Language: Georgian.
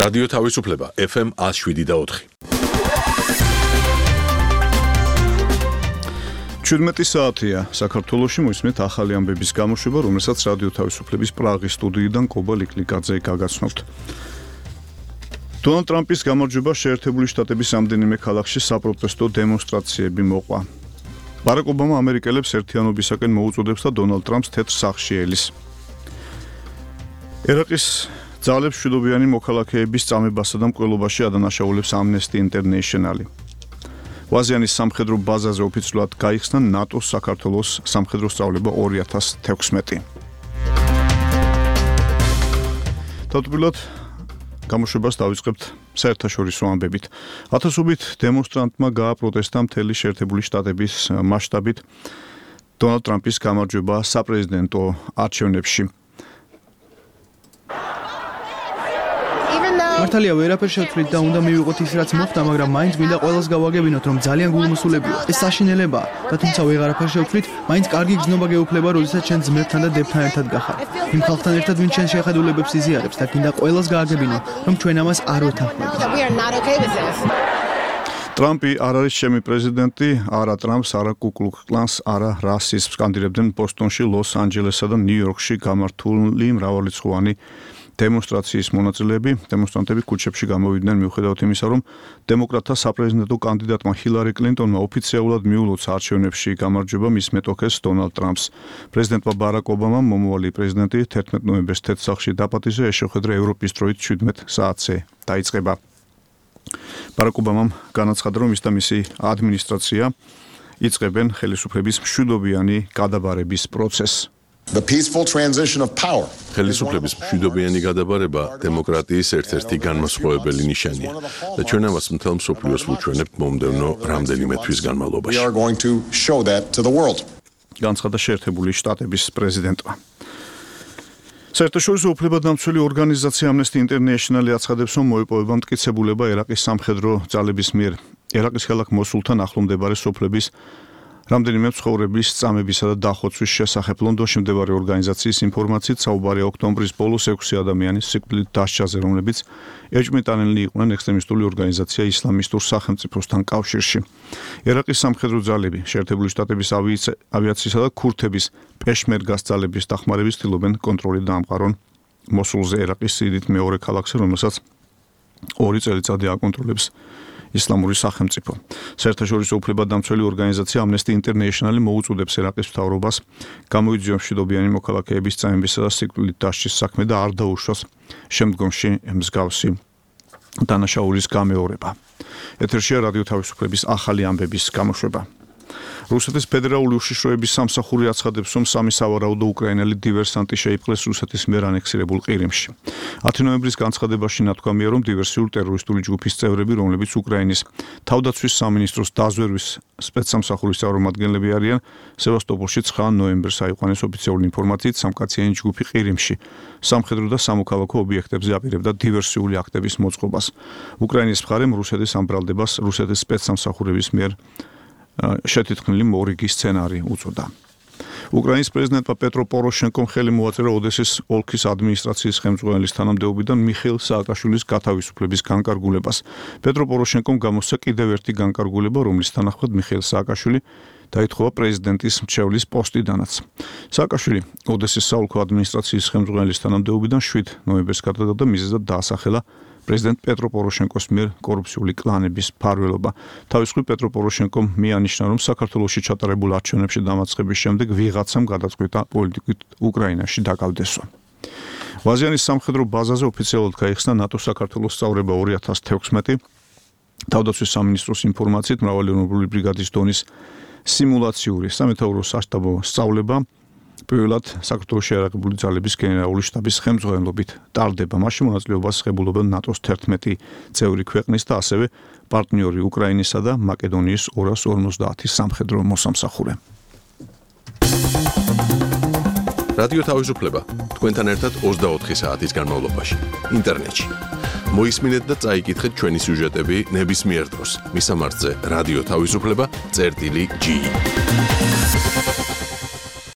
რადიო თავისუფლება FM 107.4. 17 საათია საქართველოში მოისმენთ ახალი ამბების გამოშვება, რომელსაც რადიო თავისუფლების პრაღის სტუდიიდან კობა ლიკლიკაძე გაგაცნობთ. დონალდ ტრამპის გამარჯვება შეერთებული შტატების რამდენიმე ქალაქში საპროტესტო დემონსტრაციები მოყვა. ბარაკ ობამა ამერიკელებს ერთიანობისაკენ მოუწოდებს და დონალდ ტრამპს თეთრ სახლში ელის. ერაყის ძალებს მშვიდობიანი მოქალაქეების წამებასა და მკვლელობაში ადანაშაულებს Amnesty International. ვაზიანის სამხედრო ბაზაზე ოფიციალურად გაიხსნა ნატოს საქართველოს სამხედრო სწავლება 2016. თავდაპირველად გამოშვებას დავიწყებთ საერთაშორისო ამბებით. ათასობით დემონსტრანტმა გააპროტესტა მთელი შეერთებული შტატების მასშტაბით დონალდ ტრამპის გამარჯვება საპრეზიდენტო არჩევნებში. მართალია ვერაფერ შევცვლით და უნდა მივიღოთ ის რაც მოხდა, მაგრამ მაინც მინდა ყველას გავაგებინოთ, რომ ძალიან გულმოსულებია. ეს საშინელებაა და თუმცა ვეღარაფერ შევცვლით, მაინც კარგი გზნობა გეუფლება, როდესაც ჩვენ ძმებთან და დებთან ერთად გახართ. იმ ხალხთან ერთად ვინც ჩვენ შეხედულებებს იზიარებს და გინდა ყველას გააგებინო, რომ ჩვენ ამას არ ვეთანხმებით. ტრამპი არ არის ჩემი პრეზიდენტი, არა ტრამპს, არა კუკლუქ-კლანს, არა რასიზმს სკანდირებდნენ ბოსტონში, ლოს-ანჯელესსა და ნიუ-იორკში გამართული მრავალრიცხოვანი დემონსტრაციის მონაწილეები. დემონსტრანტები ქუჩებში გამოვიდნენ მიუხედავად იმისა, რომ დემოკრატთა საპრეზიდენტო კანდიდატმა ჰილარი კლინტონმა ოფიციალურად მიულოცა არჩევნებში გამარჯვება მის მეტოქეს დონალდ ტრამპს. პრეზიდენტმა ბარაკ ობამამ მომავალი პრეზიდენტი 11 ნოემბერს თეთრ სახლში დაპატიჟა, ეს შეხვედრა ევროპის დროით 17 საათზე დაიწყება. ბარაკ ობამამ განაცხადა, რომ ის და მისი ადმინისტრაცია იწყებენ ხელისუფლების მშვიდობიანი გადაბარების პროცესს. The peaceful transition of power. ხელისუფლების მშვიდობიანი გადაბარება დემოკრატიის ერთ-ერთი განმასხვავებელი ნიშანია და ჩვენ ამას მთელ მსოფლიოს ვუჩვენებთ მომდევნო რამდენიმე თვის განმავლობაში. We are going to show that to the world. განცხადა შეერთებული შტატების პრეზიდენტმა. საერთაშორისო უფლებადამცველი ორგანიზაცია Amnesty International აცხადებს, რომ მოიპოვება მტკიცებულება ერაყის სამხედრო ძალების მიერ ერაყის ქალაქ მოსულთან ახლომდებარე სოფლების რამდენიმე მცხოვრების წამებისა და დახოცვის შესახებ. ლონდონში მდებარე ორგანიზაციის ინფორმაციით საუბარია ოქტომბრის ბოლოს 6 ადამიანის სიკვდილით დასჯაზე, რომლებიც ეჭვმიტანილნი იყვნენ ექსტრემისტული ორგანიზაცია ისლამისტურ სახელმწიფოსთან კავშირში. ერაყის სამხედრო ძალები შეერთებული შტატების ავიაციისა და ქურთების პეშმერგას ძალების დახმარებით ცდილობენ კონტროლი დაამყარონ მოსულზე, ერაყის სიდიდით მეორე ქალაქზე, რომელსაც 2 წელიწადი აკონტროლებს ისლამური სახელმწიფო. საერთაშორისო უფლებადამცველი ორგანიზაცია Amnesty International მოუწოდებს ერაყის მთავრობას გამოიძიოს მშვიდობიანი მოქალაქეების წამებისა და სიკვდილით დასჯის საქმე და არ დაუშვას შემდგომში მსგავსი დანაშაულის გამეორება. ეთერშია რადიო თავისუფლების ახალი ამბების გამოშვება. რუსეთის ფედერალური უშიშროების სამსახური აცხადებს, რომ 3 სავარაუდო უკრაინელი დივერსანტი შეიპყრეს რუსეთის მიერ ანექსირებულ ყირიმში. 10 ნოემბრის განცხადებაში ნათქვამია, რომ დივერსიულ ტერორისტული ჯგუფის წევრები, რომლებიც უკრაინის თავდაცვის სამინისტროს დაზვერვის სპეცსამსახურის წარმომადგენლები არიან, სევასტოპოლში 9 ნოემბერს აიყვანეს ოფიციალური ინფორმაციით სამკაციანი ჯგუფი ყირიმში. სამხედრო და სამოქალაქო ობიექტებზე აპირებდა დივერსიული აქტების მოწყობას. უკრაინის მხარემ რუსეთის ამ ბრალდებას რუსეთის სპეცსამსახურების მიერ შეთითქმული მორიგი სცენარი უწოდა. უკრაინის პრეზიდენტმა პეტრო პოროშენკომ ხელი მოაწერა ოდესის ოლქის ადმინისტრაციის ხელმძღვანელის თანამდებობიდან მიხეილ სააკაშვილის გათავისუფლების განკარგულებას. პეტრო პოროშენკომ გამოსცა კიდევ ერთი განკარგულება, რომლის თანახმად მიხეილ სააკაშვილი დაითხოვა პრეზიდენტის მრჩევლის პოსტიდანაც. სააკაშვილი ოდესის საოლქო ადმინისტრაციის ხელმძღვანელის თანამდებობიდან 7 ნოემბერს გადადგა და მიზეზად დაასახელა პრეზიდენტ პეტრო პოროშენკოს მიერ კორუფციული კლანების მფარველობა. თავის მხრივ პეტრო პოროშენკომ მიანიშნა, რომ საქართველოში ჩატარებულ არჩევნებში დამარცხების შემდეგ ვიღაცამ გადაწყვიტა პოლიტიკით უკრაინაში დაკავდესვა. ვაზიანის სამხედრო ბაზაზე ოფიციალურად გაიხსნა ნატოს საქართველოს სწავლება 2016. თავდაცვის სამინისტროს ინფორმაციით მრავალეროვნული ბრიგადის დონის სიმულაციური სამეთაურო სასტაბო სწავლება პირველად საქართველოში აერებული ძალების გენერალური შტაბის ხელმძღვანელობით ტარდება. მასში მონაწილეობას ღებულობენ ნატოს 11 წევრი ქვეყნის და ასევე პარტნიორი უკრაინისა და მაკედონიის 250 სამხედრო მოსამსახურე. რადიო თავისუფლება თქვენთან ერთად 24 საათის განმავლობაში ინტერნეტში. მოისმინეთ და წაიკითხეთ ჩვენი სიუჟეტები ნებისმიერ დროს. მისამართზე რადიო თავისუფლება წერტილი G.